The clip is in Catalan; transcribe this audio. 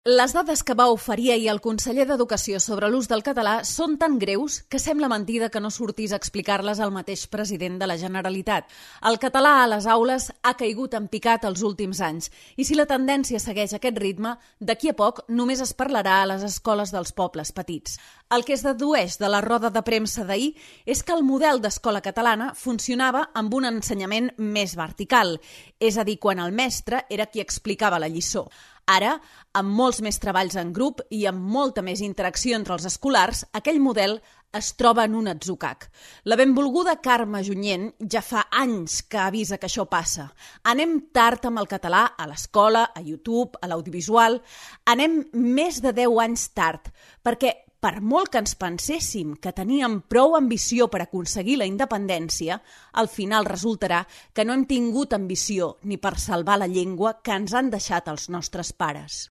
Les dades que va oferir ahir el conseller d'Educació sobre l'ús del català són tan greus que sembla mentida que no sortís a explicar-les el mateix president de la Generalitat. El català a les aules ha caigut en picat els últims anys i si la tendència segueix aquest ritme, d'aquí a poc només es parlarà a les escoles dels pobles petits. El que es dedueix de la roda de premsa d'ahir és que el model d'escola catalana funcionava amb un ensenyament més vertical, és a dir, quan el mestre era qui explicava la lliçó. Ara, amb molts més treballs en grup i amb molta més interacció entre els escolars, aquell model es troba en un atzucac. La benvolguda Carme Junyent ja fa anys que avisa que això passa. Anem tard amb el català a l'escola, a YouTube, a l'audiovisual. Anem més de 10 anys tard, perquè per molt que ens penséssim que teníem prou ambició per aconseguir la independència, al final resultarà que no hem tingut ambició ni per salvar la llengua que ens han deixat els nostres pares.